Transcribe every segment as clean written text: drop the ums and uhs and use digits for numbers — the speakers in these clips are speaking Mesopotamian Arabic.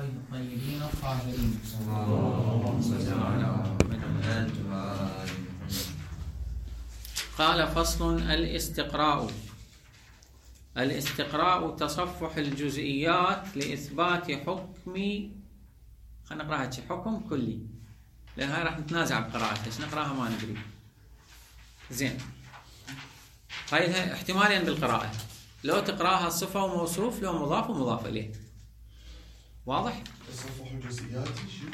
الطيبين الطاهرين. اللهم صل على محمد. قال فصل الاستقراء. الاستقراء تصفح الجزئيات لإثبات حكم، خلينا نقراها حكم كلي، لأن هاي راح نتنازع بقراءتها، ايش نقراها ما ندري. زين، هاي احتمالين بالقراءة، لو تقراها صفة وموصوف، لو مضاف ومضاف إليه. واضح؟ تصفح الجزئيات شو؟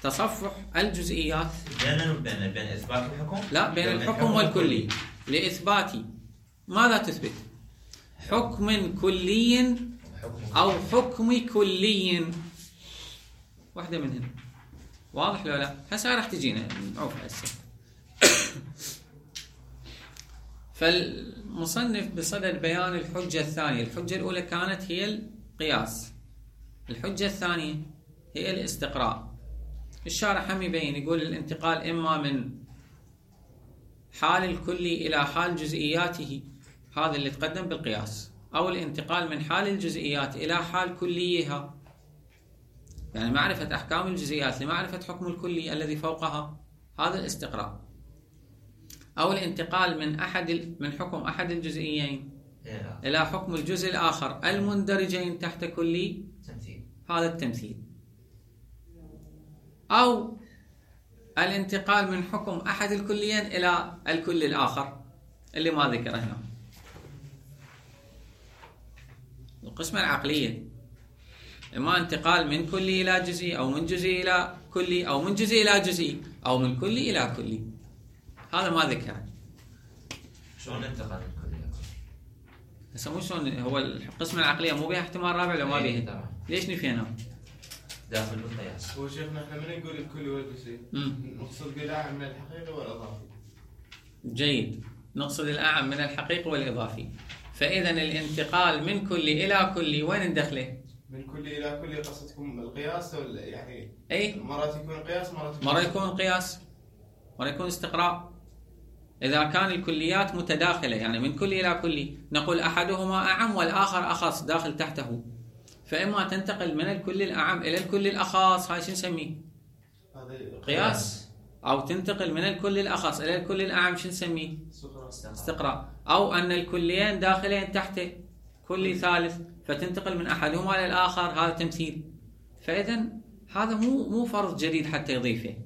تصفح الجزئيات بين إثبات الحكم؟ لا، بين الحكم والكلي، لإثبات ماذا تثبت؟ حكم كلي أو حكم كلي، واحدة منهن. واضح لو لا؟ هسه راح تجينا نعوف هسه. فالمصنف بصدد بيان الحجة الثانية. الحجة الأولى كانت هي القياس، الحجة الثانية هي الاستقراء. الشارح هم يبين، يقول الانتقال إما من حال الكلي إلى حال جزئياته، هذا اللي تقدم بالقياس، أو الانتقال من حال الجزئيات إلى حال كليها، يعني معرفة أحكام الجزئيات لمعرفة حكم الكلي الذي فوقها، هذا الاستقراء. أو الانتقال من حكم أحد الجزئيين إلى حكم الجزء الآخر المندرجين تحت كلي، هذا التمثيل. أو الانتقال من حكم أحد الكليين إلى الكل الآخر اللي ما ذكره هنا. القسمة العقلية إما انتقال من كلي إلى جزئي، أو من جزئي إلى كلي، أو من جزئي إلى جزئي، أو من كلي إلى كلي، هذا ما ذكره. شلون انتقال من كلي إلى كلي؟ هسه مو شلون، هو القسمة العقلية مو بها احتمال رابع لو ما بها؟ ليش نفينا؟ داخل بالقياس. هو شيخنا احنا من نقول الكلي والجزئي نقصد بالأعم من الحقيقي والإضافي. جيد، نقصد الأعم من الحقيقي والإضافي. فإذا الانتقال من كلي إلى كلي وين ندخله؟ من كلي إلى كلي قصدكم القياس يعني؟ أي مرات يكون قياس، مرة يكون قياس، مرة يكون استقراء. إذا كان الكليات متداخلة، يعني من كلي إلى كلي، نقول أحدهما أعم والآخر أخص داخل تحته، فإما تنتقل من الكل الأعم إلى الكل الأخص، هاي شو نسميه؟ قياس. أو تنتقل من الكل الأخص إلى الكل الأعم، شو نسميه؟ استقراء. أو أن الكليين داخلين تحت كل ثالث، فتنتقل من أحدهما إلى الآخر، هذا تمثيل. فإذا هذا مو فرض جديد حتى يضيفه،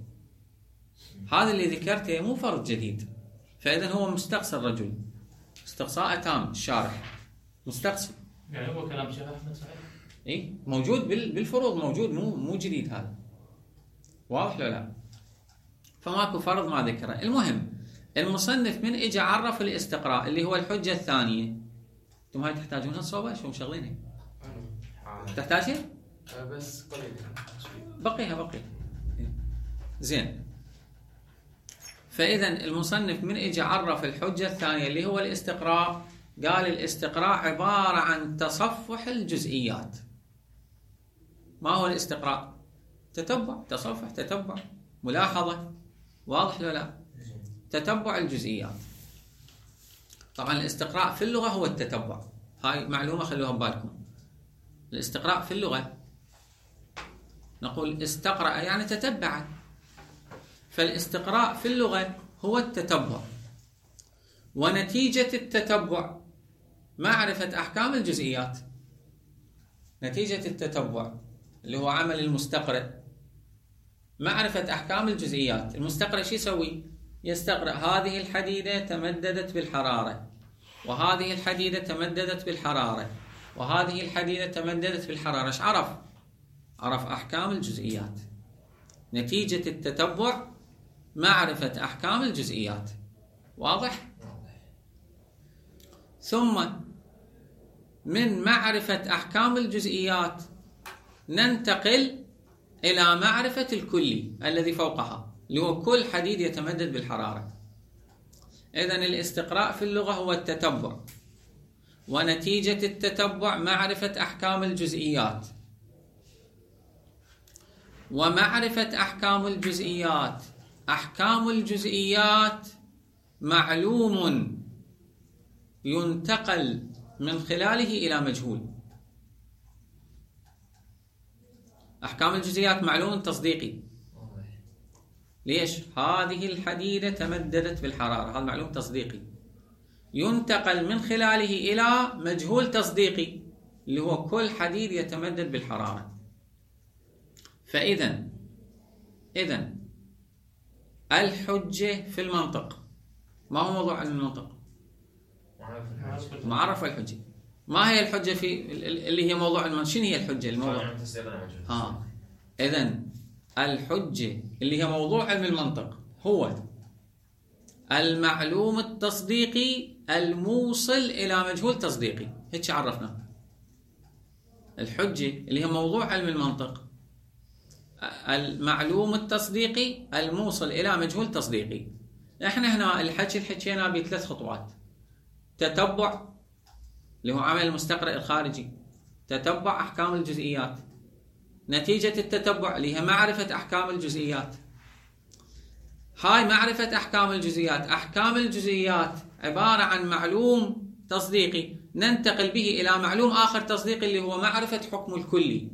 هذا اللي ذكرته مو فرض جديد. فإذا هو مستقصى الرجل استقصاء تام، الشارح مستقصى. يعني هو كلام شيخ أحمد صحيح؟ إيه، موجود بالفروض، موجود، مو جديد هذا. واضح ولا لا؟ فماكو فرض ما ذكره. المهم المصنف من اجى عرف الاستقراء اللي هو الحجة الثانية. انتم هاي تحتاجونها صوبة شو مشغلينها؟ تحتاجها؟ بس قليل بقيها. زين. فإذا المصنف من اجى عرف الحجة الثانية اللي هو الاستقراء، قال الاستقراء عبارة عن تصفح الجزئيات. ما هو الاستقراء؟ تتبع، تصفح، تتبع، ملاحظة. واضح ولا لا؟ تتبع الجزئيات. طبعا الاستقراء في اللغة هو التتبع، هاي معلومة خلوها ببالكم. الاستقراء في اللغة نقول استقرأ يعني تتبع، فالاستقراء في اللغة هو التتبع، ونتيجة التتبع معرفة أحكام الجزئيات. نتيجة التتبع اللي هو عمل المستقرئ معرفة أحكام الجزئيات. المستقرئ شو يسوي؟ يستقرأ هذه الحديدة تمددت بالحرارة، وهذه الحديدة تمددت بالحرارة، وهذه الحديدة تمددت بالحرارة. ايش عرف؟ عرف أحكام الجزئيات. نتيجة التتبع معرفة أحكام الجزئيات. واضح؟ ثم من معرفة أحكام الجزئيات ننتقل إلى معرفة الكلي الذي فوقها، اللي هو كل حديد يتمدد بالحرارة. إذن الاستقراء في اللغة هو التتبع، ونتيجة التتبع معرفة أحكام الجزئيات، ومعرفة أحكام الجزئيات. أحكام الجزئيات معلوم ينتقل من خلاله إلى مجهول. أحكام الجزئيات معلوم تصديقي. ليش؟ هذه الحديدة تمددت بالحرارة، هذا معلوم تصديقي. ينتقل من خلاله إلى مجهول تصديقي اللي هو كل حديد يتمدد بالحرارة. فإذا الحجة في المنطق ما هو موضوع علم المنطق؟ معرفة الحجة. ما هي الحجة في اللي هي موضوع المنطق؟ شنو هي الحجة الموضوع؟ إذن الحجة اللي هي موضوع علم المنطق هو المعلوم التصديقي الموصل إلى مجهول تصديقي. هيك عرفنا الحجة اللي هي موضوع علم المنطق، المعلوم التصديقي الموصل إلى مجهول تصديقي. احنا هنا الحكي اللي حكينا بثلاث خطوات: تتبع اللي هو عمل المستقرئ الخارجي، تتبع أحكام الجزئيات، نتيجة التتبع اللي هي معرفة أحكام الجزئيات. هاي معرفة أحكام الجزئيات. أحكام الجزئيات عبارة عن معلوم تصديقي ننتقل به إلى معلوم آخر تصديقي اللي هو معرفة حكم الكلي.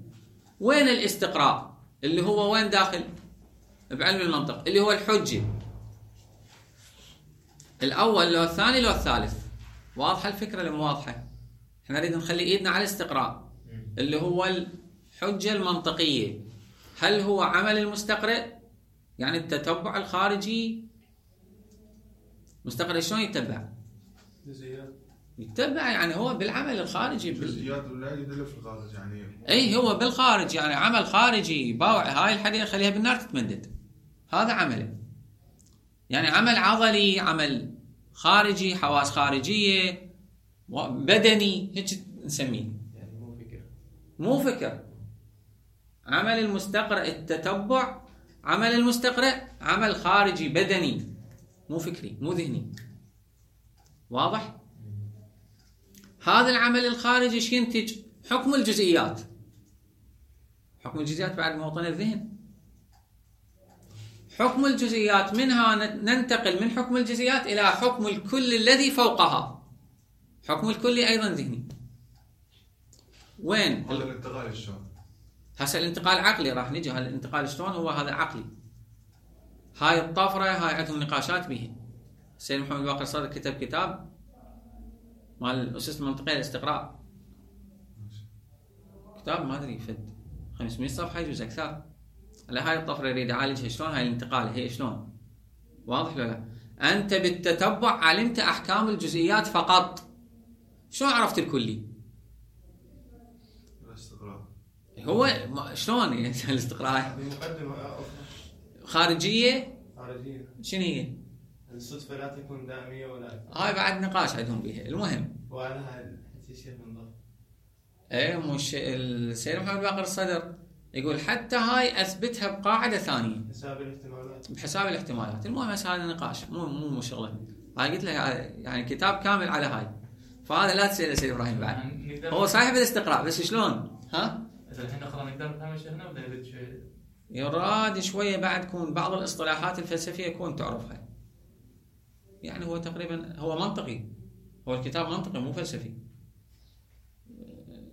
وين الاستقراء اللي هو وين داخل بعلم المنطق اللي هو الحجة؟ الأول لو الثاني لو الثالث. واضحة الفكرة لما واضحة؟ احنا نريد نخلي ايدنا على الاستقراء اللي هو الحجة المنطقية. هل هو عمل المستقرئ يعني التتبع الخارجي؟ مستقرئ شلون يتبع؟ يتبع يعني هو بالعمل الخارجي جزئيات ولا يدل في الخارج يعني. اي هو بالخارج يعني عمل خارجي. باوع هاي الحديدة خليها بالنار تتمدد، هذا عمله. يعني عمل عضلي، عمل خارجي، حواس خارجية، بدني، هيك نسميه. يعني مو فكر. عمل المستقرئ التتبع، عمل المستقرئ عمل خارجي بدني، مو فكري مو ذهني. واضح؟ هذا العمل الخارجي ايش ينتج؟ حكم الجزئيات. حكم الجزئيات بعد موطن الذهن. حكم الجزئيات منها ننتقل من حكم الجزئيات إلى حكم الكل الذي فوقها. حكم الكلي أيضا ذهني. وين؟ هذا الانتقال شلون؟ هسه الانتقال عقلي، راح نجي هذا الانتقال شلون هو هذا عقلي. هاي الطفرة هاي عندهم نقاشات بها. السيد محمد باقر صادق كتب كتاب مال الأسس المنطقية للاستقراء، كتاب ما أدري فد 500 صفحة يجوز أكثر. على هاي الطفرة يريد يعالجها شلون هاي الانتقال هي شلون. واضح ولا لا؟ أنت بالتتبع علمت أحكام الجزئيات فقط، شلون عرفت الكلي؟ الاستقراء هو شلون يعني الاستقراء؟ خارجية شنو هي؟ الصدفة لا تكون دائمية ولا هاي بعد نقاش عندهم بها. المهم وعلى هاي الشيء من ضمن مش السيد محمد باقر الصدر يقول حتى هاي اثبتها بقاعده ثانيه حساب الاحتمالات. بحساب الاحتمالات. المهم هسه هذا نقاش مو شغله. هاي قلت لك يعني كتاب كامل على هاي، فهذا لا تسال سيد ابراهيم بعد. هو صاحب الاستقراء بس شلون؟ ها؟ اذا الحين نقرا نقدر نفهم شيء هنا ولا نريد شوي؟ يراد شويه بعد كون بعض الاصطلاحات الفلسفيه كون تعرفها. يعني هو تقريبا هو منطقي، هو الكتاب منطقي مو فلسفي.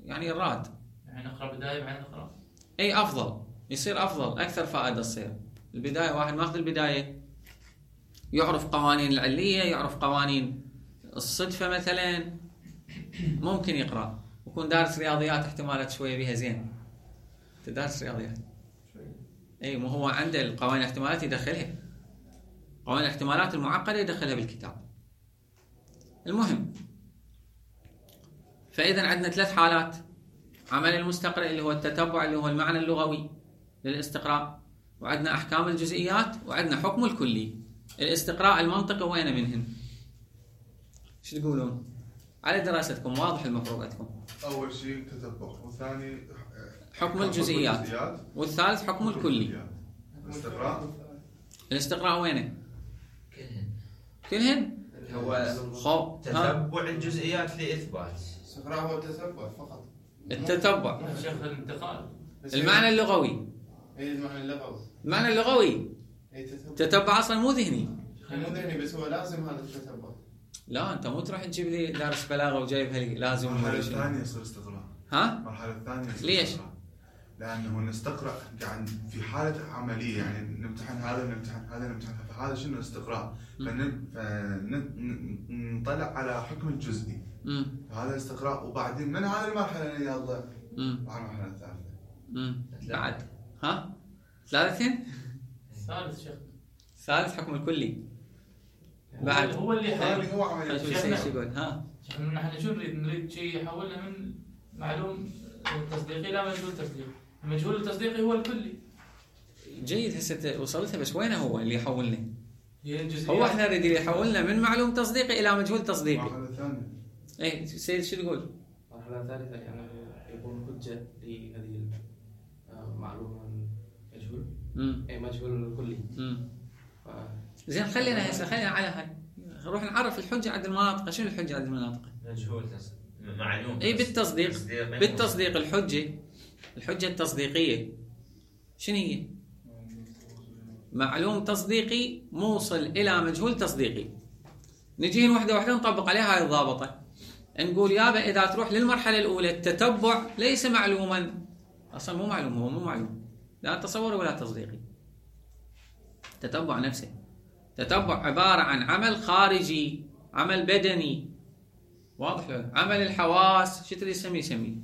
يعني يراد يعني نقرا بدايه بعدين نقرا. اي افضل، يصير افضل، اكثر فائده تصير. البدايه واحد ماخذ البدايه يعرف قوانين العليه، يعرف قوانين الصدفه مثلا، ممكن يقرا ويكون دارس رياضيات احتمالات شويه بها زين. تدرس رياضيات اي مو هو عنده القوانين الاحتمالات يدخلها، قوانين الاحتمالات المعقده يدخلها بالكتاب. المهم فاذا عندنا ثلاث حالات: عمل المستقرئ اللي هو التتبع اللي هو المعنى اللغوي للاستقراء، وعندنا احكام الجزئيات، وعندنا حكم الكلي. الاستقراء المنطقي وين منهن؟ ايش تقولون؟ على دراستكم واضح المفروض عندكم. اول شيء تتبع، والثاني حكم الجزئيات، والثالث حكم الكلي. الاستقراء وينه؟ كلهن هو تتبع الجزئيات لإثبات. الاستقراء هو التتبع فقط. التتبع شيخ الانتقال المعنى اللغوي. اي المعنى اللغوي. المعنى اللغوي تتبع اصلا مو ذهني. مو ذهني بس هو لازم هذا التتبع. لا انت مو تروح تجيب لي دارس بلاغه وجايبها لي لازم. المرحله الثانيه يصير استقراء. ها؟ المرحله الثانيه ليش؟ لانه نستقرا قاعد في حاله عمليه، يعني نمتحن هذا ونمتحن هذا ونمتحن هذا، شنو استقراء، فنطلع على حكم الجزئي. هذا استقراء، وبعدين من هذه المرحله اللي يلا على المرحله الثالثه. بعد ثالثين؟ ثالث شيخ. ثالث حكم الكلي. بعد هو اللي هذه هو عمليه. شيخنا يقول نحن شو نريد شيء يحولنا من معلوم تصديقي الى مجهول تصديقي. المجهول التصديقي هو الكلي. جيد، هسه وصلتها، بس وين هو اللي يحولنا؟ هو احنا نريد يحولنا من معلوم تصديقي الى مجهول تصديقي. مرحله ثانيه. اي سيد شو تقول؟ مرحله ثالثه يعني يكون حجه لهذه المعلومه مجهول. اي مجهول كلي. زين خلينا على هاي، نروح نعرف الحجه عند المناطق. شنو الحجه عند المناطق؟ مجهول معلوم. اي بالتصديق الحجه التصديقيه شنو هي؟ معلوم تصديقي موصل الى مجهول تصديقي. نجي وحده نطبق عليها هاي الضابطه، نقول يابا اذا تروح للمرحله الاولى التتبع ليس معلوما، اصلا مو معلوم، هو مو معلوم، لا تصوري ولا تصديقي. التتبع نفسه تتبع عباره عن عمل خارجي، عمل بدني، واضح له؟ عمل الحواس، شو تريد يسميه،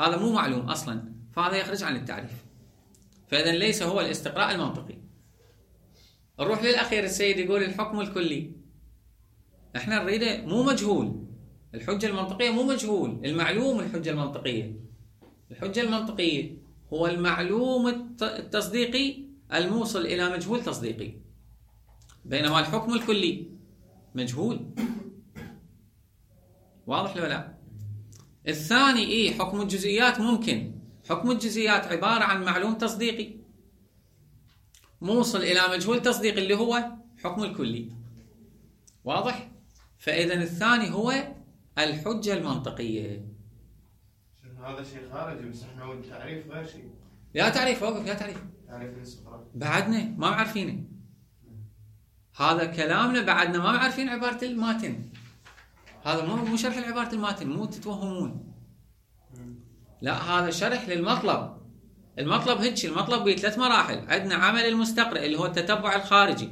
هذا مو معلوم اصلا، فهذا يخرج عن التعريف. فاذا ليس هو الاستقراء المنطقي. نروح للاخير، السيد يقول الحكم الكلي. احنا نريده مو مجهول، الحجه المنطقيه مو مجهول، المعلوم الحجه المنطقيه. الحجه المنطقيه هو المعلوم التصديقي الموصل الى مجهول تصديقي، بينما الحكم الكلي مجهول. واضح ولا لا؟ الثاني حكم الجزئيات ممكن. حكم الجزئيات عباره عن معلوم تصديقي موصل الى مجهول تصديقي اللي هو حكم الكلي. واضح؟ فاذا الثاني هو الحجه المنطقيه. هذا شيء خارجي، بس احنا التعريف غير شيء. لا تعريف، وقف، لا تعريف. تعريف الاستقراء بعدنا ما عارفينه. هذا كلامنا بعدنا ما عارفين عباره الماتن. هذا مو شرح لعباره الماتن، مو تتوهمون. لا، هذا شرح للمطلب. المطلب هيك، المطلب بثلاث مراحل. عندنا عمل المستقرئ اللي هو التتبع الخارجي،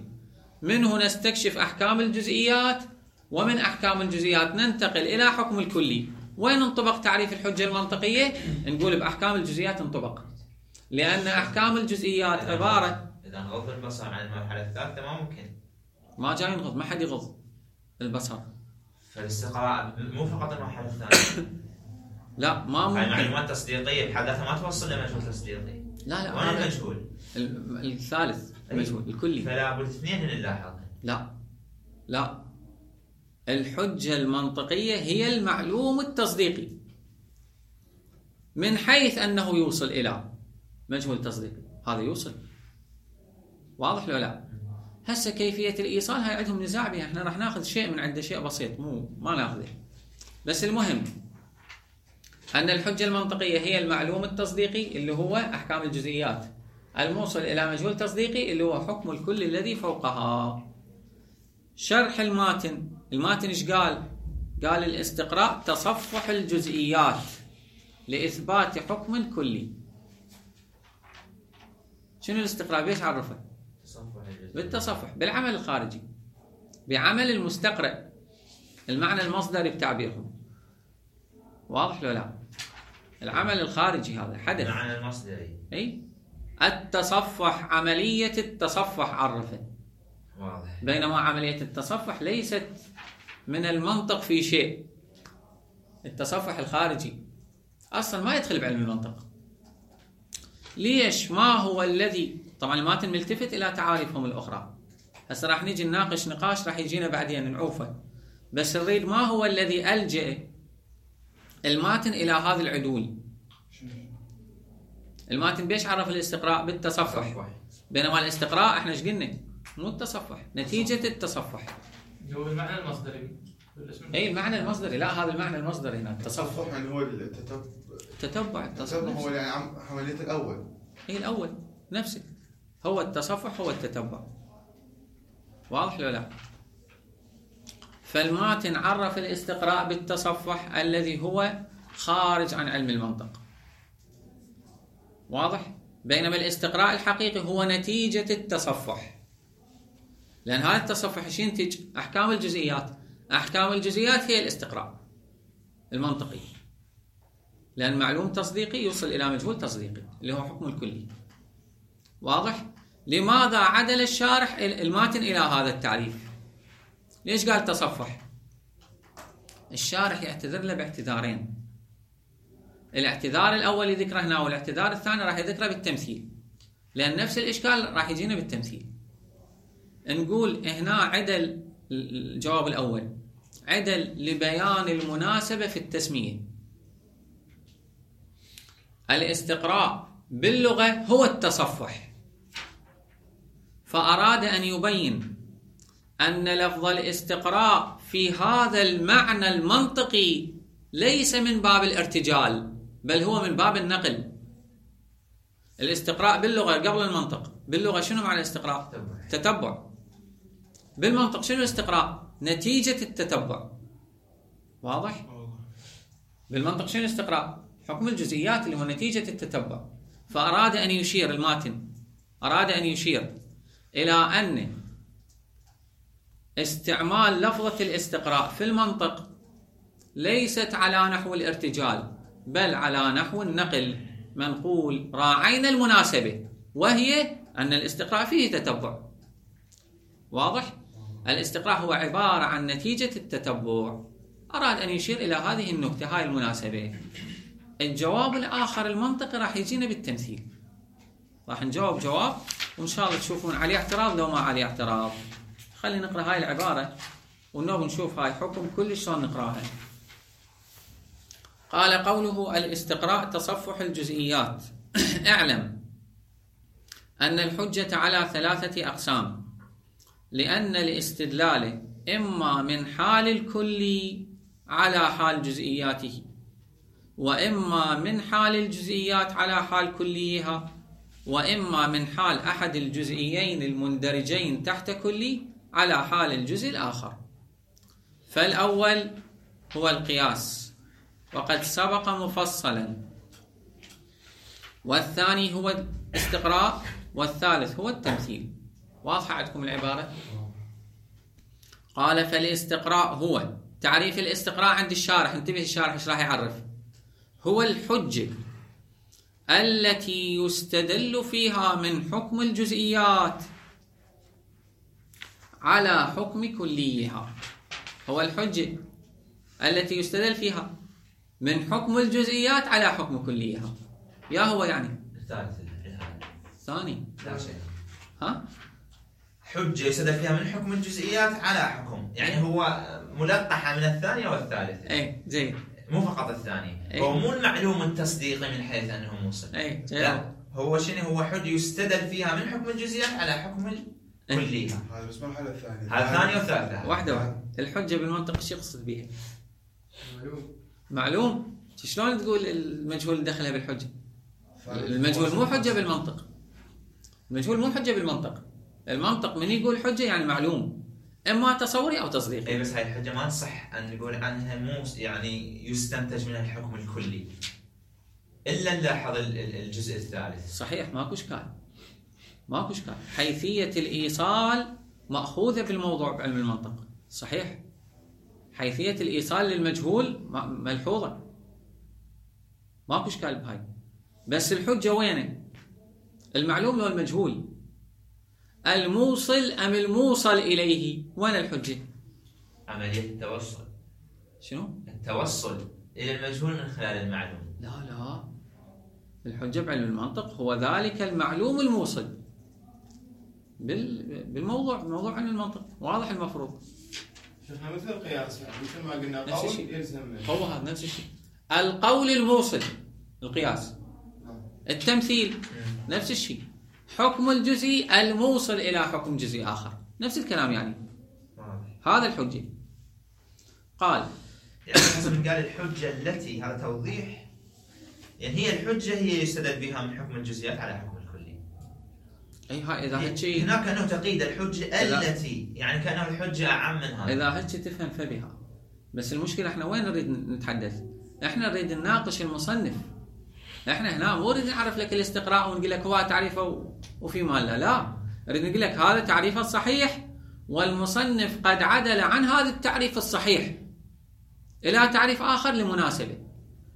منه نستكشف احكام الجزئيات، ومن احكام الجزئيات ننتقل الى حكم الكلي. وين انطبق تعريف الحجه المنطقيه؟ نقول باحكام الجزئيات انطبق، لان احكام الجزئيات عباره. اذا نغض البصر عن المرحله الثالثه ما ممكن، ما جاي نغض، ما حد يغض البصر. فالاستقراء مو فقط المرحله الثانيه. لا ما ممكن. المعلومات التصديقيه بحد ذاتها ما توصل لمجهول تصديقي. لا وين المجهول؟ الثالث المجهول الكلي. فلا بد اثنين نلاحظها. لا الحجه المنطقيه هي المعلوم التصديقي من حيث انه يوصل الى مجهول تصديقي. هذا يوصل. واضح ولا لا؟ هسه كيفيه الايصال هاي عندهم نزاع بها. احنا راح ناخذ شيء من عنده، شيء بسيط، ما ناخذه. بس المهم أن الحجة المنطقية هي المعلوم التصديقي اللي هو أحكام الجزئيات، الموصل إلى مجهول تصديقي اللي هو حكم الكل الذي فوقها. شرح الماتن إيش قال؟ قال الاستقراء تصفح الجزئيات لإثبات حكم كلي. شنو الاستقراء؟ بيش عرفه؟ بالتصفح، بالعمل الخارجي، بعمل المستقرئ، المعنى المصدري بتعبيرهم. واضح لو لا؟ العمل الخارجي هذا حدث. المعنى المصدري. اي التصفح، عملية التصفح عرفه. واضح. بينما عملية التصفح ليست من المنطق في شيء. التصفح الخارجي أصلا ما يدخل بعلم المنطق. ليش؟ ما هو الذي، طبعا الماتن ملتفت إلى تعاريفهم الأخرى، هسه راح نيجي نناقش نقاش راح يجينا بعدين نعوفه، بس نريد ما هو الذي ألجأ الماتن إلى هذا العدول. الماتن بيش عرف الاستقراء؟ بالتصفح. بينما الاستقراء احنا ايش قلنا؟ مو التصفح، نتيجة التصفح. هو المعنى المصدري. اي المعنى المصدري، لا هذا المعنى المصدري هنا التصفح. يعني هو التتبع. التصفح هو يعني عملية الأول. اي الأول نفسه، هو التصفح هو التتبع. واضح ولا لا؟ فالماتن عرف الاستقراء بالتصفح الذي هو خارج عن علم المنطق. واضح؟ بينما الاستقراء الحقيقي هو نتيجة التصفح، لأن هذا التصفح ايش ينتج؟ أحكام الجزئيات. أحكام الجزئيات هي الاستقراء المنطقي، لأن معلوم تصديقي يوصل إلى مجهول تصديقي اللي هو حكم الكلي. واضح؟ لماذا عدل الشارح الماتن إلى هذا التعريف؟ ليش قال تصفح؟ الشارح يعتذر له باعتذارين. الاعتذار الأول ذكره هنا، والاعتذار الثاني راح يذكره بالتمثيل، لأن نفس الإشكال راح يجينا بالتمثيل. نقول هنا عدل الجواب الأول، عدل لبيان المناسبة في التسمية. الاستقراء باللغة هو التصفح، فأراد أن يبين أن لفظ الاستقراء في هذا المعنى المنطقي ليس من باب الارتجال، بل هو من باب النقل. الاستقراء باللغة قبل المنطق، باللغة شنو معنى الاستقراء؟ تتبع. بالمنطق شنو الاستقراء؟ نتيجة التتبع. واضح؟ بالمنطق شنو الاستقراء؟ حكم الجزئيات اللي هو نتيجة التتبع. فأراد أن يشير الماتن، أراد أن يشير إلى أن استعمال لفظة الاستقراء في المنطق ليست على نحو الارتجال، بل على نحو النقل. منقول راعينا المناسبة، وهي أن الاستقراء فيه تتبع. واضح؟ الاستقراء هو عبارة عن نتيجة التتبع. أراد أن يشير إلى هذه النكتة، هاي المناسبة. الجواب الآخر المنطقي راح يجينا بالتمثيل، راح نجاوب جواب وإن شاء الله تشوفون عليه اعتراض لو ما عليه اعتراض. خلينا نقرأ هاي العبارة ونوب نشوف هاي حكم كل شلون نقراها. قال قوله الاستقراء تصفح الجزئيات. اعلم أن الحجة على 3 أقسام، لأن الاستدلال إما من حال الكلي على حال جزئياته، وإما من حال الجزئيات على حال كليها، وإما من حال أحد الجزئيين المندرجين تحت كلي على حال الجزء الآخر. فالأول هو القياس وقد سبق مفصلا، والثاني هو الاستقراء، والثالث هو التمثيل. واضحة عندكم العبارة؟ قال فالاستقراء هو، تعريف الاستقراء عند الشارح، انتبه الشارح ايش راح يعرف، هو الحجة التي يستدل فيها من حكم الجزئيات على حكم كليها. هو الحجة التي يستدل فيها من حكم الجزئيات على حكم كليها. يا هو يعني الثاني لا شيء. ها؟ حجة يستدل فيها من حكم الجزئيات على حكم، يعني هو ملقحة من الثانية والثالثة. اي زين، مو فقط الثاني. هو مو المعلوم التصديقي من حيث انه موصل. لا، هو شنو؟ هو حجة يستدل فيها من حكم الجزئيات على حكم كليها. هذا بس مرحلة الثانية. هذا الثانية والثالثة. واحدة. الحجة بالمنطق ايش يقصد بها؟ معلوم. شلون تقول المجهول دخلها بالحجة؟ المجهول مو حجة بالمنطق. المجهول مو حجة بالمنطق. المنطق من يقول حجة يعني معلوم، اما تصوري او تصديقي. اي بس هاي الحجة ما تصح ان نقول عنها مو يعني يستنتج منها الحكم الكلي، الا نلاحظ الجزء الثالث. صحيح، ماكو اشكال، ماكو اشكال. حيثية الايصال مأخوذة بالموضوع بعلم المنطق. صحيح، حيثية الايصال للمجهول ملحوظة، ماكو اشكال بهاي. بس الحجة وينه؟ المعلوم لو المجهول، الموصل ام الموصل اليه؟ وين الحجة؟ عملية التوصل. شنو؟ التوصل الى المجهول من خلال المعلوم. لا، الحجة بعلم المنطق هو ذلك المعلوم الموصل بالموضوع علم المنطق. واضح المفروض؟ شفنا مثل القياس، يعني مثل ما قلنا قول يلزم. هو هذا نفس الشيء. القول الموصل القياس، التمثيل نفس الشيء، حكم الجزئي الموصل إلى حكم جزئي آخر، نفس الكلام يعني. هذا الحجة. قال يعني حسب قال الحجة التي، هذا توضيح، يعني هي الحجة هي يستدل بها من حكم الجزئيات على حكم الكلي. أي هاي إذا هالشيء هناك أنه تقييد الحجة التي، يعني كأنه الحجة أعم من هذا. إذا هالشيء تفهم فبها. بس المشكلة إحنا وين نريد نتحدث؟ إحنا نريد نناقش المصنف احنا هنا مو نريد نعرف لك الاستقراء ونقول لك هو تعريفه وفي مال لا، نريد نقول لك هذا تعريفه الصحيح، والمصنف قد عدل عن هذا التعريف الصحيح الى تعريف اخر لمناسبه.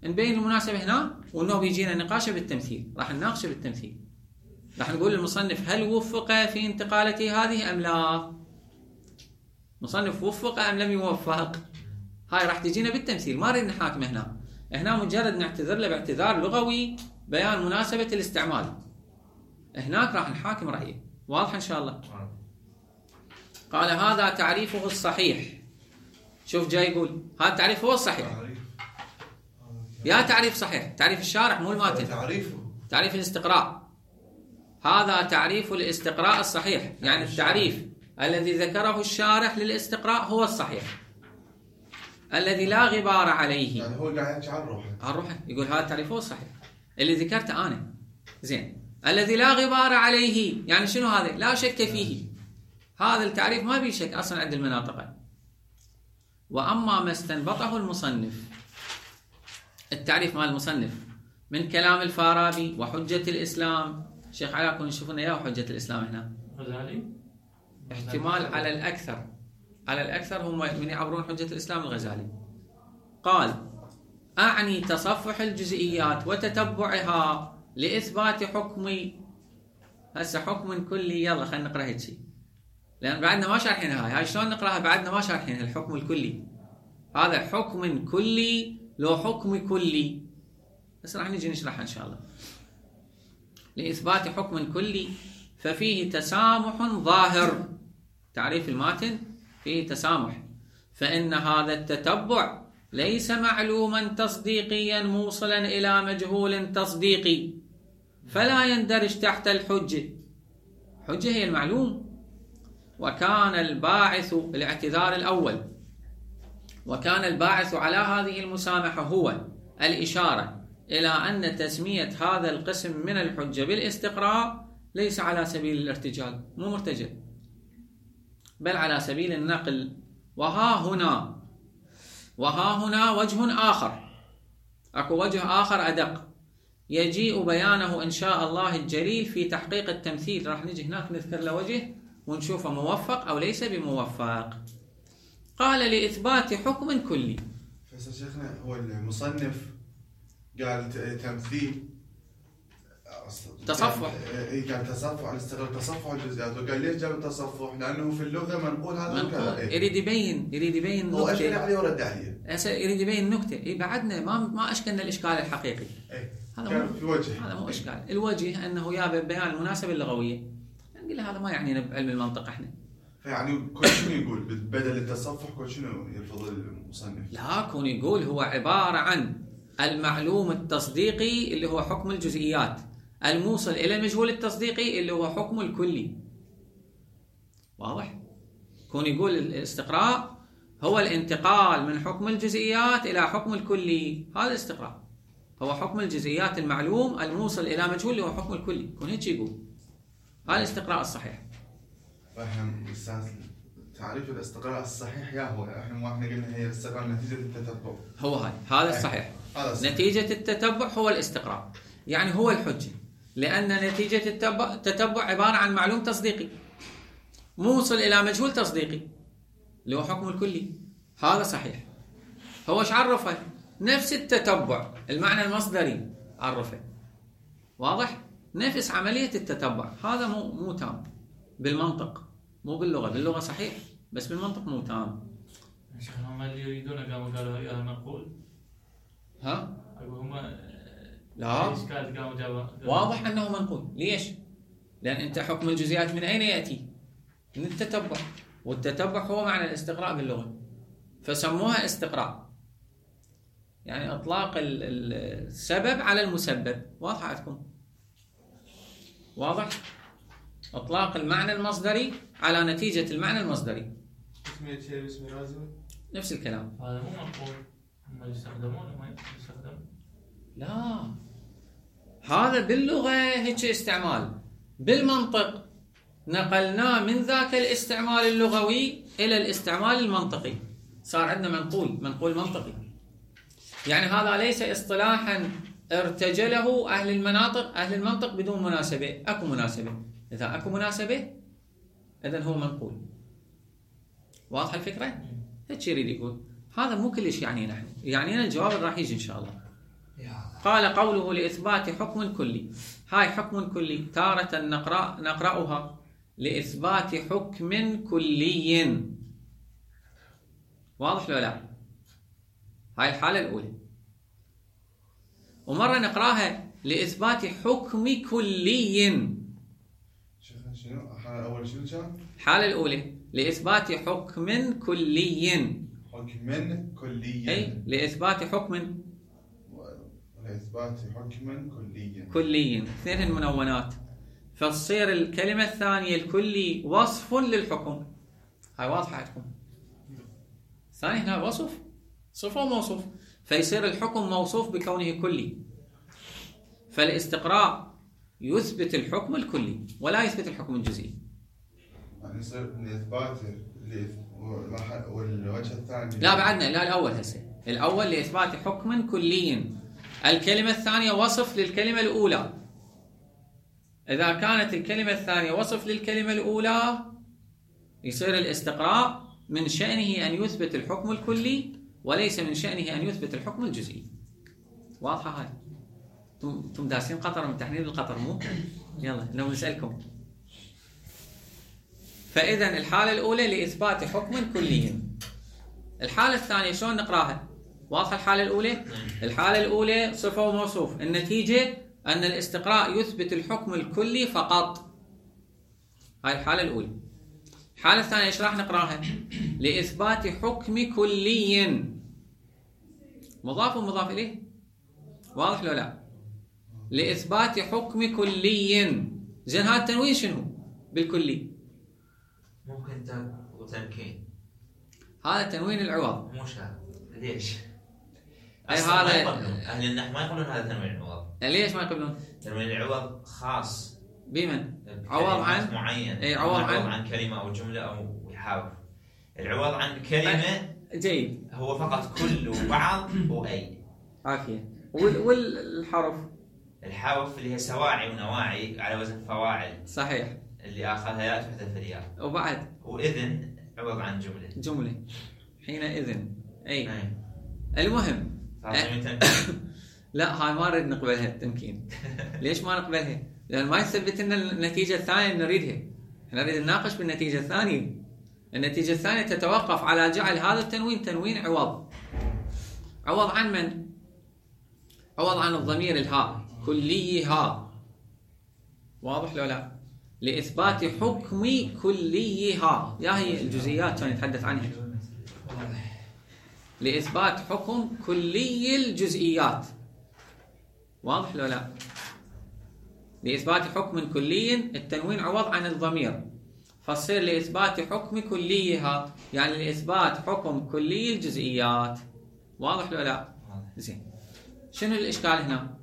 نبين المناسبه هنا، وانه بيجينا نقاشه بالتمثيل، راح نناقشه بالتمثيل، راح نقول للمصنف هل وفق في انتقالته هذه ام لا؟ مصنف وفق ام لم يوفق؟ هاي راح تجينا بالتمثيل، ما نريد نحاكمه هنا مجرد نعتذر له باعتذار لغوي بيان مناسبه الاستعمال. هناك راح نحاكم رايه. واضح ان شاء الله؟ قال هذا تعريفه الصحيح. شوف جاي يقول هذا التعريف هو الصحيح. يا تعريف صحيح، تعريف الشارح مو الماتن، تعريف الاستقراء. هذا تعريف الاستقراء الصحيح، يعني التعريف الذي ذكره الشارح للاستقراء هو الصحيح الذي لا غبار عليه. يعني هو قاعد عن روحه يقول هذا التعريف هو الصحيح اللي ذكرته انا. زين، الذي لا غبار عليه يعني شنو هذا؟ لا شك فيه. هذا التعريف ما بيه شك اصلا عند المناطق. واما ما استنبطه المصنف، التعريف مال المصنف من كلام الفارابي وحجة الإسلام. شيخ علاء كون نشوف لنا اياه حجة الإسلام هنا. غزالي احتمال على الأكثر هم من يعبرون حجة الإسلام الغزالي. قال أعني تصفح الجزئيات وتتبعها لإثبات حكم. هسه حكم كلي، يلا خلينا نقرأ هيك شيء لأن بعدنا ما شارحين هاي شلون نقرأها؟ بعدنا ما شارحين الحكم الكلي. هذا حكم كلي لو حكم كلي، بس راح نجي نشرحها إن شاء الله. لإثبات حكم كلي ففيه تسامح ظاهر. تعريف الماتن فيه تسامح، فإن هذا التتبع ليس معلوما تصديقيا موصلا إلى مجهول تصديقي، فلا يندرج تحت الحجة. حجة هي المعلوم. وكان الباعث الاعتذار الأول، وكان الباعث على هذه المسامحة هو الإشارة إلى أن تسمية هذا القسم من الحجة بالاستقراء ليس على سبيل الارتجال، مو مرتجل، بل على سبيل النقل. وها هنا وجه آخر، أكو وجه آخر أدق يجيء بيانه إن شاء الله الجليل في تحقيق التمثيل. راح نجي هناك نذكر له وجه ونشوفه موفق أو ليس بموفق. قال لإثبات حكم كلي. شيخنا هو المصنف قال تمثيل تصفح، قال تصفح الاستقراء، تصفح الجزئيات. وقال ليش جاب التصفح؟ لأنه في اللغة منقول هذا وكذا. يريد يبين هو أشكل عليه ورد عليه. يريد يبين نكتة. بعدنا ما أشكلنا الإشكال الحقيقي. هذا في وجه. هذا مو إشكال. الوجه أنه يا بيان المناسبة اللغوية. نقول هذا ما يعنينا بعلم المنطق احنا. يعني كل شنو يقول بدل التصفح كل شنو يرفض المصنف؟ لا، كون يقول هو عبارة عن المعلوم التصديقي اللي هو حكم الجزئيات، الموصل إلى المجهول التصديقي اللي هو حكم الكلي. واضح؟ كون يقول الاستقراء هو الانتقال من حكم الجزئيات إلى حكم الكلي، هذا الاستقراء هو حكم الجزئيات المعلوم الموصل إلى مجهول اللي هو حكم الكلي. كون هيك يقول هذا الاستقراء الصحيح. احنا استاذ تعريف الاستقراء الصحيح يا هو احنا قلنا هي الاستقراء نتيجة التتبع. هو هذا الصحيح. نتيجة التتبع هو الاستقراء، يعني هو الحجة، لأن نتيجة التتبع عبارة عن معلوم تصديقي موصل إلى مجهول تصديقي اللي هو حكم الكلي. هذا صحيح. هو ايش عرفه؟ نفس التتبع، المعنى المصدري عرفه. واضح؟ نفس عملية التتبع. هذا مو تام بالمنطق، مو باللغة. باللغة صحيح بس بالمنطق مو تام. شيخنا هم اللي يريدون قالوا يا منقول. هم لا، واضح أنه منقول. ليش؟ لأن أنت حكم الجزئيات من أين يأتي؟ من التتبع، والتتبع هو معنى الاستقراء باللغة، فسموها استقراء، يعني إطلاق السبب على المسبب. واضح عندكم؟ واضح؟ إطلاق المعنى المصدري على نتيجة المعنى المصدري. نفس الكلام. هذا مو منقول. هم يستخدمون وما يستخدمون. لا، هذا باللغة هيك استعمال. بالمنطق نقلناه من ذاك الاستعمال اللغوي إلى الاستعمال المنطقي، صار عندنا منقول منطقي. يعني هذا ليس اصطلاحا ارتجله أهل المنطق بدون مناسبة. أكو مناسبة، إذا أكو مناسبة إذن هو منقول. واضح الفكرة؟ هيك يريد يقول. هذا مو كلش يعني نحن، يعني الجواب اللي راح يجي إن شاء الله. قال قوله لإثبات حكم كلي. هاي حكم كلي تارة نقرأها لإثبات حكم كلي. واضح لو لا؟ هاي الحالة الأولى. ومرة نقراها لإثبات حكم كلي. شنو؟ الحالة الأولى شنو كان؟ الحالة الأولى لإثبات حكم كلي. حكم كلي. أي لإثبات حكم. لإثبات حكم كلي. كلي، اثنين منونات. فتصير الكلمة الثانية الكلي وصف للحكم. هاي واضحة عندكم. الثاني هنا وصف، صفة وموصوف، فيصير الحكم موصوف بكونه كلي. فالاستقراء يثبت الحكم الكلي ولا يثبت الحكم الجزئي. يعني يصير لإثبات والوجه الثاني. لا بعدنا، لا الأول هسه. الأول لإثبات حكم كلي. الكلمة الثانية وصف للكلمة الأولى. إذا كانت الكلمة الثانية وصف للكلمة الأولى يصير الاستقراء من شأنه أن يثبت الحكم الكلي وليس من شأنه أن يثبت الحكم الجزئي. واضحة هاي؟ انتم دارسين قطر من تحليل القطر مو؟ يلا لو نسألكم. فإذا الحالة الأولى لإثبات حكم كلي. الحالة الثانية شلون نقراها؟ واضحة الحالة الأولى؟ الحالة الأولى صفة وموصوف، النتيجة أن الاستقراء يثبت الحكم الكلي فقط. هاي الحالة الأولى. الحالة الثانية ايش راح نقراها؟ لإثبات حكم كلي. مضاف ومضاف إليه. واضح لو لا؟ لإثبات حكم كلي. زين هذا التنوين شنو؟ بالكلي. ممكن تمكين. هذا تنوين العوض. مو شرط. ليش؟ أي هذا أهل النحو ما يقولون هذا تنوين العوض. ليش ما يقولون؟ تنوين العوض خاص. بمن؟ عوض عن معين. اي عوض عن كلمة أو جملة أو يحاول. العوض عن كلمة جيد. هو فقط كل وبعض وأي. عافية. والحرف؟ الحرف اللي هي سواعي ونواعي على وزن فواعل. صحيح. اللي آخرها ياء تحذف الياء. وبعد؟ وإذن عوض عن جملة. حينئذ. أي. المهم. لا هاي ما نريد نقبلها التمكين. ليش ما نقبلها؟ لأن ما يثبت لنا النتيجة الثانية اللي نريدها. احنا نريد نناقش بالنتيجة الثانية. النتيجة الثانية تتوقف على جعل هذا التنوين تنوين عوض. عوض عن من؟ عوض عن الضمير الهاء. كليها. واضح لو لا؟ لإثبات حكم كليها. يا هي الجزئيات كان يتحدث عنها. لإثبات حكم كلي الجزئيات. واضح لو لا؟ لإثبات حكم كلي التنوين عوض عن الضمير، فصير لإثبات حكم كليها يعني لإثبات حكم كلي الجزئيات. واضح لو لا؟ زين. شنو الإشكال هنا؟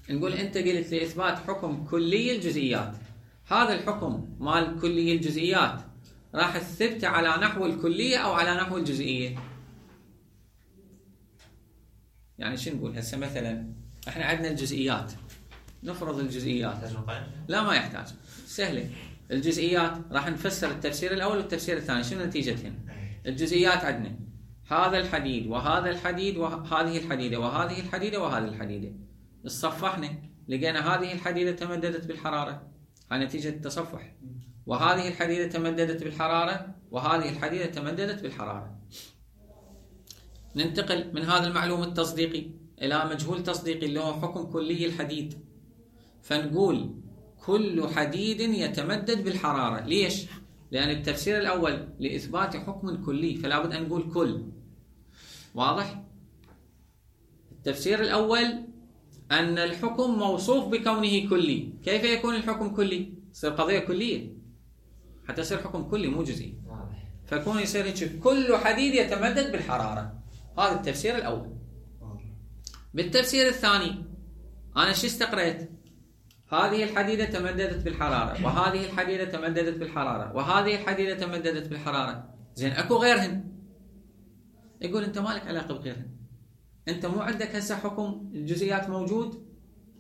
نقول أنت قلت لإثبات حكم كلي الجزئيات. هذا الحكم مال كلي الجزئيات راح تثبت على نحو الكلية أو على نحو الجزئية؟ يعني شو نقول هسه مثلا احنا عندنا الجزئيات، نفرض الجزئيات. لا ما يحتاج، سهله. الجزئيات راح نفسر التفسير الاول والتفسير الثاني. شنو نتيجتهن؟ الجزئيات عندنا هذا الحديد وهذا الحديد وهذه الحديده وهذه الحديده وهذه الحديده. الصفحنا لقينا هذه الحديده تمددت بالحراره، هاي نتيجه التصفح. وهذه الحديده تمددت بالحراره وهذه الحديده تمددت بالحراره. ننتقل من هذا المعلوم التصديقي إلى مجهول تصديقي اللي هو حكم كلي الحديد. فنقول كل حديد يتمدد بالحرارة. ليش؟ لأن التفسير الأول لإثبات حكم كلي فلا بد أن نقول كل. واضح؟ التفسير الأول أن الحكم موصوف بكونه كلي. كيف يكون الحكم كلي؟ يصير قضية كلية حتى يصير حكم كلي مو جزئي. فيكون يصير هيك كل حديد يتمدد بالحرارة. هذا التفسير الأول. بالتفسير الثاني أنا شو استقريت؟ هذه الحديدة تمددت بالحرارة وهذه الحديدة تمددت بالحرارة وهذه الحديدة تمددت بالحرارة. زين أكو غيرهن. يقول أنت مالك علاقة بغيرهن. انت مو عندك هسه حكم الجزئيات موجود،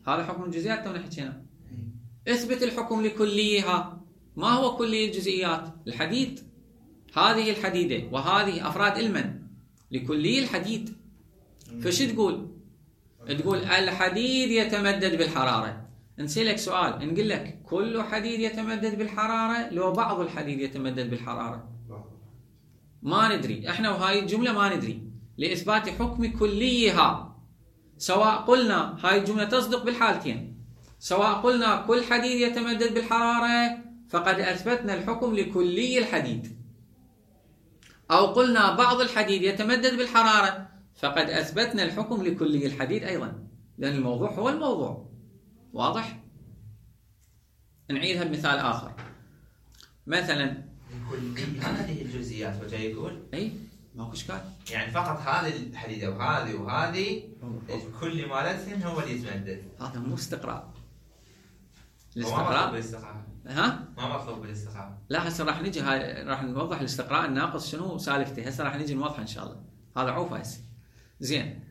هذا حكم الجزئيات تونا حكينا. اثبت الحكم لكليها. ما هو كلي الجزئيات؟ الحديد، هذه الحديدة وهذه أفراد المن لكلي الحديد. فش تقول؟ تقول الحديد يتمدد بالحرارة. نسألك سؤال، نقول لك كل حديد يتمدد بالحرارة لو بعض الحديد يتمدد بالحرارة؟ ما ندري احنا، وهاي الجملة ما ندري لإثبات حكم كليها. سواء قلنا هاي الجملة تصدق بالحالتين، سواء قلنا كل حديد يتمدد بالحرارة فقد أثبتنا الحكم لكلي الحديد، أو قلنا بعض الحديد يتمدد بالحرارة فقد أثبتنا الحكم لكلي الحديد أيضا، لأن الموضوع هو الموضوع. واضح؟ نعيدها بمثال آخر. مثلا كلي هذه الجزئيات وجاي يقول أي ماكو إشكال، يعني فقط هذه الحديدة وهذه وهذه كل مالتهم هو اللي يتمدد. هذا مو استقراء. الاستقراء ها؟ ما مطلوب بالاستقراء. لا هسه راح نجي، هاي راح نوضح الاستقراء الناقص شنو سالفته، هسه راح نجي نوضحه ان شاء الله. هذا عوفه هسه. زين.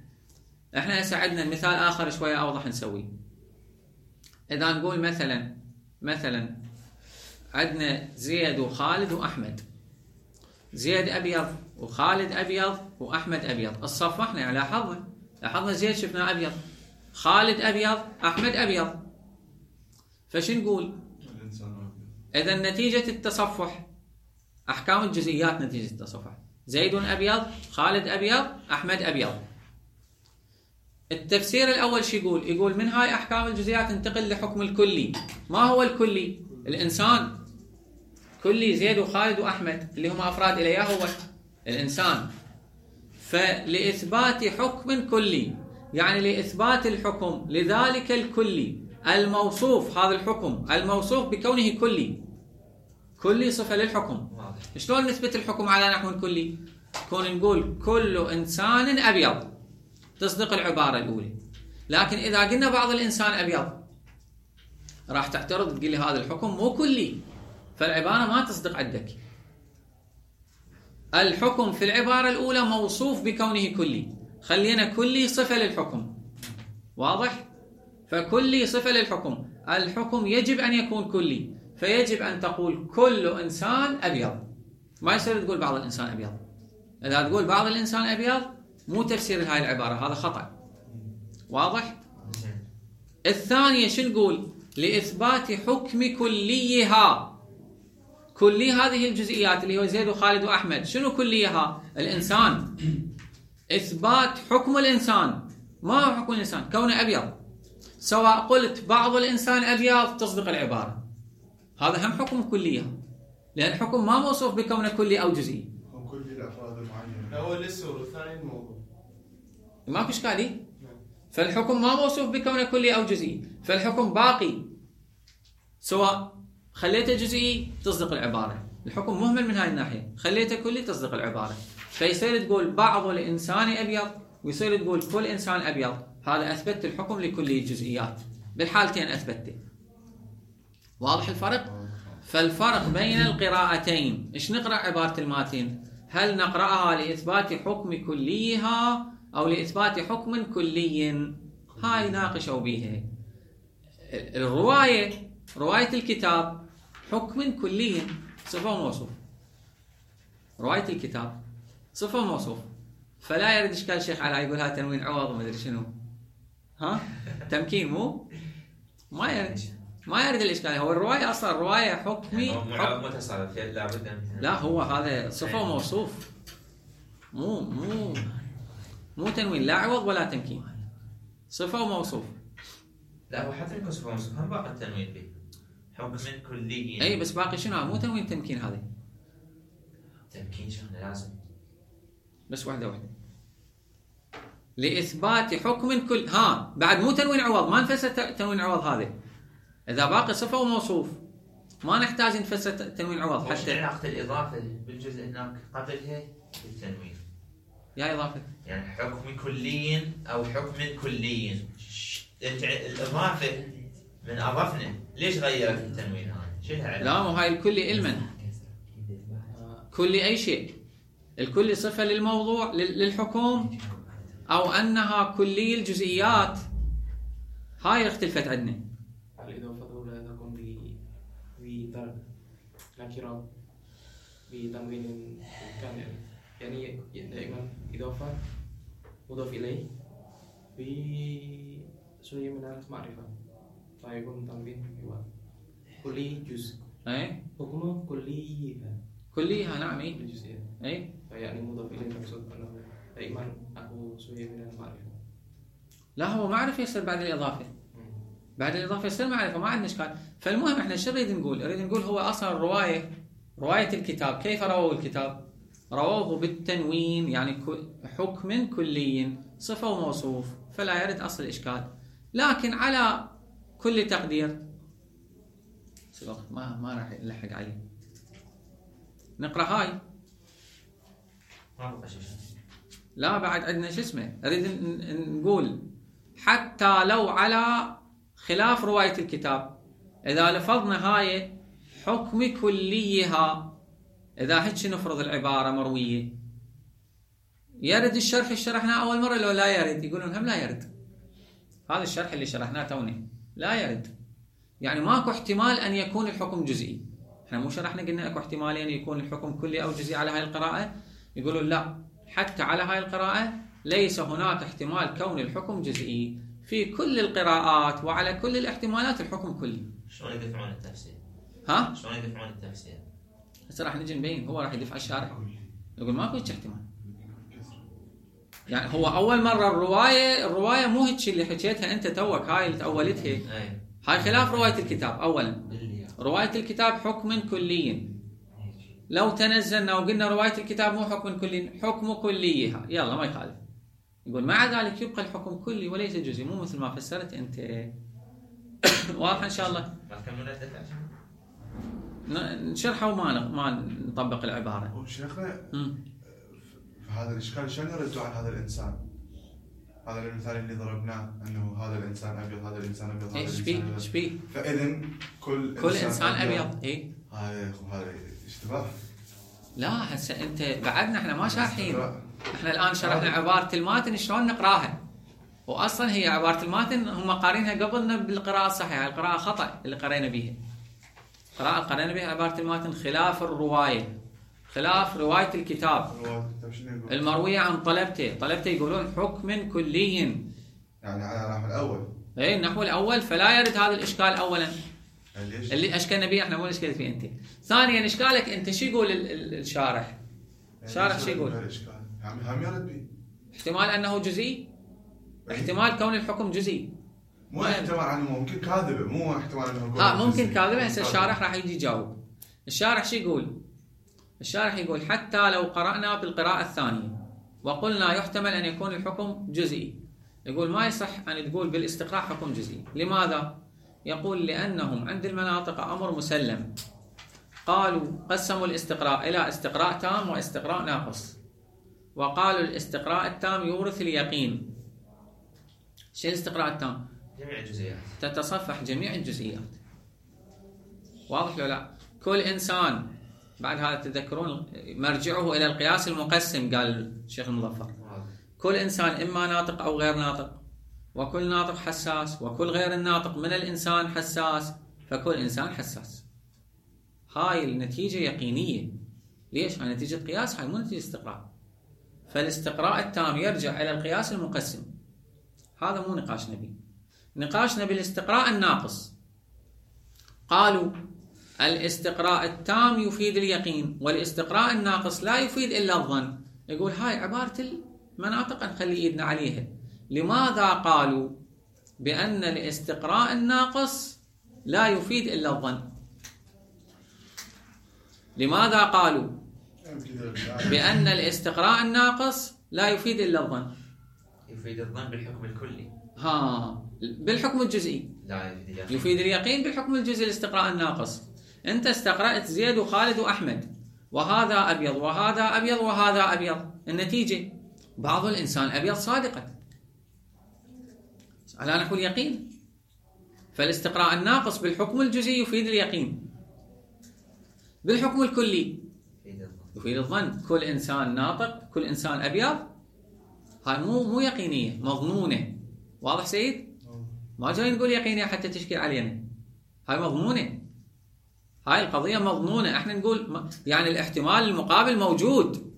احنا هسه عندنا مثال اخر شويه اوضح نسويه. اذا نقول مثلا عندنا زيد وخالد واحمد. زيد ابيض وخالد ابيض واحمد ابيض. الصفحنا يعني لاحظنا زيد شفناه ابيض، خالد ابيض، احمد ابيض. فش نقول؟ إذا نتيجة التصفح، أحكام الجزئيات نتيجة التصفح، زيد أبيض، خالد أبيض، أحمد أبيض. التفسير الأول شو يقول؟ يقول من هاي أحكام الجزئيات انتقل لحكم الكلي. ما هو الكلي؟ الإنسان. كلي زيد وخالد وأحمد اللي هم أفراد إليه هو الإنسان. فلإثبات حكم كلي، يعني لإثبات الحكم لذلك الكلي الموصوف، هذا الحكم الموصوف بكونه كلي صفة للحكم. شلون نثبت الحكم على نحو كلي؟ كون نقول كل إنسان أبيض تصدق العبارة الأولى، لكن إذا قلنا بعض الإنسان أبيض راح تعترض تقول لي هذا الحكم مو كلي، فالعبارة ما تصدق عندك. الحكم في العبارة الأولى موصوف بكونه كلي، خلينا كلي صفة للحكم. واضح؟ فكلي صفة للحكم، الحكم يجب أن يكون كلي، فيجب أن تقول كل إنسان أبيض، ما يصير تقول بعض الإنسان أبيض. إذا تقول بعض الإنسان أبيض مو تفسير هاي العبارة، هذا خطأ. واضح؟ الثانية شو نقول؟ لإثبات حكم كليها. كلي هذه الجزئيات اللي هو زيد وخالد وأحمد، شنو كليها؟ الإنسان. إثبات حكم الإنسان. ما هو حكم الإنسان؟ كونه أبيض. سواء قلت بعض الإنسان أبيض تصدق العبارة، هذا هم حكم كلية، لأن الحكم ما موصوف بكونه كلي أو جزئي. هو كلي الأفراد المعينة. الأول لسه والثاني الموضوع. ماكو إشكالي. فالحكم ما موصوف بكونه كلي أو جزئي، فالحكم باقي. سواء خليته جزئي تصدق العبارة، الحكم مهمل من هاي الناحية. خليته كلي تصدق العبارة. فيصير تقول بعض الإنسان أبيض، ويصير تقول كل إنسان أبيض. هذا أثبت الحكم لكلي الجزئيات، بالحالتين أثبته. واضح الفرق؟ فالفرق بين القراءتين، إيش نقرأ عبارة الماتن؟ هل نقرأها لإثبات حكم كليها أو لإثبات حكم كلي؟ هاي ناقشوا بيها. رواية الكتاب حكم كلي صفة وموصوف. رواية الكتاب صفة وموصوف، فلا يرد إشكال الشيخ علاء يقول ها تنوين عوض وما أدري شنو، ها تمكين مو ما يرد الإشكال. هو الرواية أصلا الرواية حكمي متصرف، لا هو هذا صفة وموصوف، مو تنوين، لا عوض ولا تمكين، صفة وموصوف. لا هو حتى يكون صفة وموصوف هم باقي التنوين به حكم كلي. أي بس باقي شنو؟ مو تنوين تمكين، هذا تمكين شنو لازم بس واحدة لإثبات حكم كل. بعد مو تنوين عوض، ما نفسر تنوين عوض هذا. إذا باقي صفة وموصوف ما نحتاج نفسر تنوين عوض. حتى علاقة الإضافة بالجزء هناك قبلها بالتنوين، يا إضافة يعني حكم كلي أو حكم كلي. الإضافة من أضفنا ليش غيرت التنوين هذا؟ شلها علاقة؟ لا مو هاي الكلي علما، كلي أي شيء، الكلي صفة للموضوع للحكم أو أنها كلي الجزئيات، هاي اختلفت عندنا. الإضافة لا تكون بدرجة نكرة بتنوين كان، يعني دائما إضافة مضاف إليه بشيء من المعرفة، فيكون تنوين هو كلي جزء. أي حكمه كليها نعم. أي يعني مضاف إليه مقصود أنه دائما أكو شيء من المعرفة. لا هو معرفة يصير بعد الإضافة، بعد الإضافة يصير معرفة، ما عندنا إشكال. فالمهم إحنا شو نريد نقول؟ نريد نقول هو أصلا رواية الكتاب كيف رووا الكتاب؟ رووه بالتنوين، يعني حكم كلي صفة وموصوف، فلا يرد أصل الإشكال. لكن على كل تقدير ما راح نلحق عليه. نقرأ هاي. لا بعد عندنا شو اسمه، نريد نقول حتى لو على خلاف رواية الكتاب، إذا لفظنا هاي حكم كليها، إذا هيك نفرض العبارة مروية، يرد الشرح اللي شرحناه أول مرة لو لا يرد؟ يقولون هم لا يرد. هذا الشرح اللي شرحناه توني لا يرد، يعني ماكو احتمال أن يكون الحكم جزئي. احنا مو شرحنا قلنا اكو احتمالين يكون الحكم كلي أو جزئي على هاي القراءة؟ يقولون لا، حتى على هاي القراءة ليس هناك احتمال كون الحكم جزئي، في كل القراءات وعلى كل الاحتمالات الحكم كلي. شلون يدفعون التفسير؟ ها؟ شلون يدفعون التفسير؟ هسه راح نجي نبين، هو راح يدفع الشارع يقول ماكو هيك احتمال. يعني هو اول مره الروايه مو هيك اللي حكيتها انت توك، هاي اللي تاولتها، هاي خلاف روايه الكتاب. اولا روايه الكتاب حكم كلي، لو تنزلنا وقلنا روايه الكتاب مو حكم كلي، حكم كليها، يلا ما يخالف. يقول مع ذلك يبقى الحكم كلي وليس جزئي، مو مثل ما فسرت انت. واضح ان شاء الله؟ نشرحه وما نطبق العباره. شيخنا هذا الاشكال شلون يردوا عن هذا الانسان؟ هذا المثال اللي ضربناه انه هذا الانسان ابيض، هذا الانسان ابيض، هذا الانسان ايش بيه؟ فاذا كل انسان ابيض. اي هذا اشتباه. لا هسه انت بعدنا احنا ما شارحين، احنا الان شرحنا عباره الماتن شلون نقراها، واصلا هي عباره الماتن هم قارينها قبلنا بالقراءه الصحيحه، القراءه خطا اللي قرينا بها. القراءه قرينا بها عباره الماتن خلاف الروايه، خلاف روايه الكتاب المرويه عن طلبته يقولون حكم كلي، يعني على النحو الاول. اي النحو الاول، فلا يرد هذا الاشكال اولا اللي اشكلنا به احنا، مو اشكلت فيه انت. ثانيا اشكالك انت شو يقول الشارح؟ الشارح شو يقول؟ هم يرد به احتمال انه جزئي، احتمال كون الحكم جزئي، مو احتمال انه ممكن كاذبه، مو احتمال انه ممكن كاذبه. هسه الشارح راح يجي يجاوب. الشارح شو يقول؟ الشارح يقول حتى لو قرأنا بالقراءة الثانية وقلنا يحتمل أن يكون الحكم جزئي، يقول ما يصح أن تقول بالاستقراء حكم جزئي. لماذا؟ يقول لأنهم عند المناطق أمر مسلم، قالوا قسموا الاستقراء إلى استقراء تام واستقراء ناقص، وقالوا الاستقراء التام يورث اليقين. شو الاستقراء التام؟ جميع الجزئيات، تتصفح جميع الجزئيات. واضح لو لا؟ كل إنسان، بعد هذا تذكرون مرجعه إلى القياس المقسم، قال الشيخ المظفر كل إنسان إما ناطق أو غير ناطق، وكل ناطق حساس، وكل غير الناطق من الإنسان حساس، فكل إنسان حساس. هاي النتيجة يقينية. ليش؟ هاي نتيجة قياس، هاي مو نتيجة استقراء. فالاستقراء التام يرجع إلى القياس المقسم. هذا مو نقاشنا به. نقاشنا بالاستقراء الناقص. قالوا الاستقراء التام يفيد اليقين، والاستقراء الناقص لا يفيد إلا الظن. يقول هاي عبارة المناطق نخلي إيدنا عليها. لماذا قالوا بأن الاستقراء الناقص لا يفيد إلا الظن؟ لماذا قالوا بأن الاستقراء الناقص لا يفيد إلا الظن؟ يفيد الظن بالحكم الكلي. بالحكم الجزئي لا يفيد اليقين بالحكم الجزئي. الاستقراء الناقص أنت استقرأت زيد وخالد وأحمد، وهذا أبيض وهذا أبيض وهذا أبيض، النتيجة بعض الإنسان أبيض صادقا على نحو اليقين. فالاستقراء الناقص بالحكم الجزئي يفيد اليقين، بالحكم الكلي يفيد الظن. كل إنسان ناطق، كل إنسان أبيض هاي مو يقينية، مظنونة. واضح سيد؟ ما جاي نقول يقينية حتى تشكل علينا، هاي مظنونة، هاي القضية مظنونة. احنا نقول يعني الاحتمال المقابل موجود،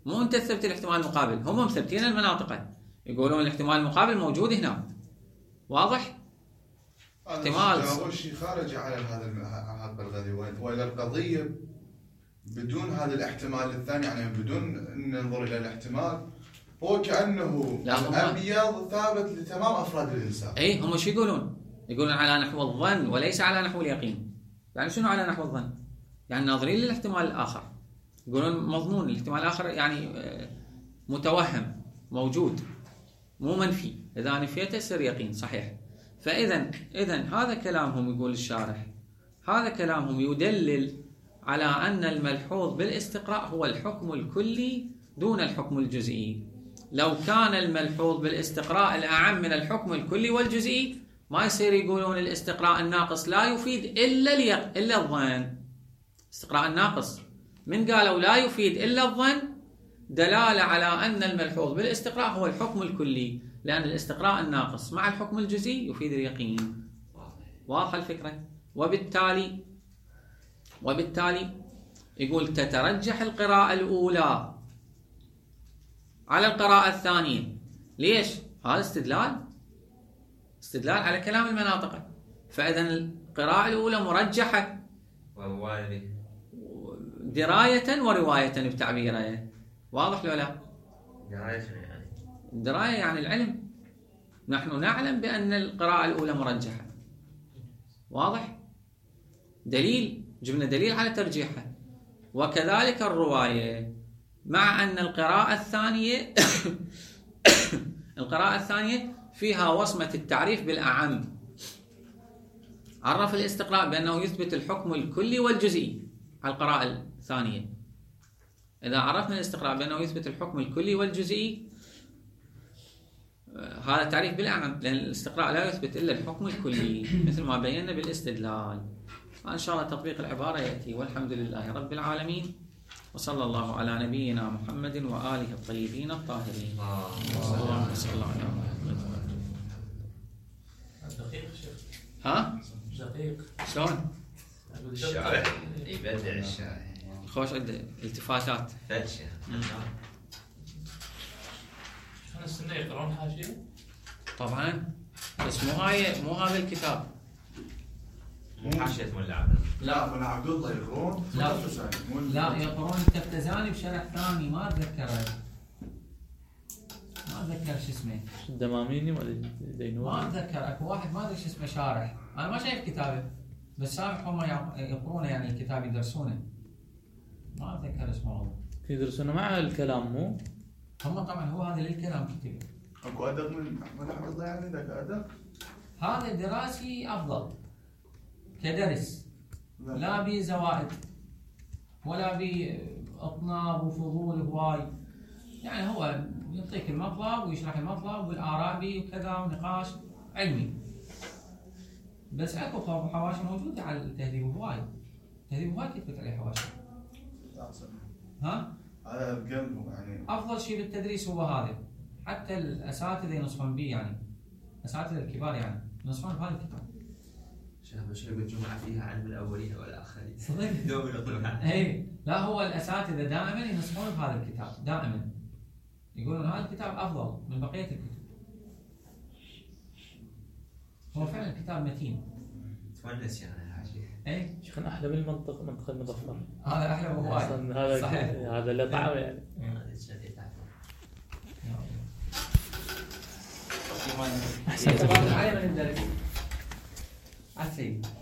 مو انت تثبت الاحتمال المقابل، هم مثبتين المناطق يقولون الاحتمال المقابل موجود هنا. واضح؟ احتمال اول شيء خارج على هذا القضية، وإلى القضية بدون هذا الاحتمال الثاني، يعني بدون ان ننظر الى الاحتمال، هو كأنه الأبيض ثابت لتمام افراد الانسان. اي هم شو يقولون؟ يقولون على نحو الظن وليس على نحو اليقين. يعني شنو على نحو الظن؟ يعني ناظرين للاحتمال الاخر، يقولون مضمون الاحتمال الاخر، يعني متوهم موجود مو منفي، اذا نفيته يصير يقين صحيح. فاذا هذا كلامهم، يقول الشارح هذا كلامهم يدلل على ان الملحوظ بالاستقراء هو الحكم الكلي دون الحكم الجزئي. لو كان الملحوظ بالاستقراء الاعم من الحكم الكلي والجزئي ما يصير يقولون الاستقراء الناقص لا يفيد الا الظن. استقراء الناقص من قالوا لا يفيد الا الظن دلاله على ان الملحوظ بالاستقراء هو الحكم الكلي، لان الاستقراء الناقص مع الحكم الجزئي يفيد اليقين. واضحه الفكره؟ وبالتالي يقول تترجح القراءة الأولى على القراءة الثانية. ليش؟ هذا استدلال على كلام المناطق. فإذا القراءة الأولى مرجحة دراية ورواية بتعبيره. واضح لو لا؟ دراية يعني العلم، نحن نعلم بأن القراءة الأولى مرجحة. واضح؟ جبنا دليل على ترجيحها. وكذلك الرواية، مع أن القراءة الثانية فيها وصمة التعريف بالأعم. عرف الاستقراء بأنه يثبت الحكم الكلي والجزئي على القراءة الثانية. إذا عرفنا الاستقراء بأنه يثبت الحكم الكلي والجزئي، هذا تعريف بالأعم، لأن الاستقراء لا يثبت إلا الحكم الكلي مثل ما بينا بالاستدلال. وإن شاء الله تطبيق العبارة يأتي. والحمد لله رب العالمين، وصلى الله على نبينا محمد وآله الطيبين الطاهرين. اللهم صل على محمد. دقيق شيخ. ها؟ دقيق. شلون؟ الشارع يبدع الشارع. خوش عنده التفاتات. فتشة. شلون السنة يقرون حاشية؟ طبعا، بس مو هذا الكتاب. حاشية ملا لا ملا عبد الله يقرون. لا يقرون التفتزاني بشرح ثاني ما اتذكر شو اسمه. الدماميني ولا دينوري؟ ما اتذكر، اكو واحد ما ادري شو اسمه شارح، انا ما شايف كتابه، بس سامح هم يقرونه، يعني الكتاب يدرسونه. ما اتذكر اسمه والله. يدرسونه مع الكلام مو؟ هم طبعا هو هذا للكلام كتب. اكو ادق من عبد الله، يعني ذاك ادق. هذا دراسي افضل كدرس، لا بي زوائد ولا بي اطناب وفضول هواي، يعني هو يعطيك المطلب ويشرح المطلب والاراء بي وكذا ونقاش علمي. بس اكو حواشي موجوده على التهذيب هواي، التهذيب هواي كتبت عليه حواشي. ها؟ هذا القلب يعني افضل شيء بالتدريس هو هذا، حتى الاساتذه ينصحون به، يعني الاساتذه الكبار يعني ينصحون بهذا الكتاب. شيخ مشروع الجمعة فيها علم الأولين والآخرين. صدق؟ دوم يطلبها. اي لا، هو الاساتذه دائما ينصحون بهذا الكتاب، دائما يقولون هذا الكتاب افضل من بقيه الكتب. هو فعلا كتاب متين. تونس يعني الحاشية. اي شيخنا احلى من منطق المظفر. هذا احلى من هواي. هذا صحيح. هذا اللي طعمه يعني. احسن. علي من الدرس. عسي.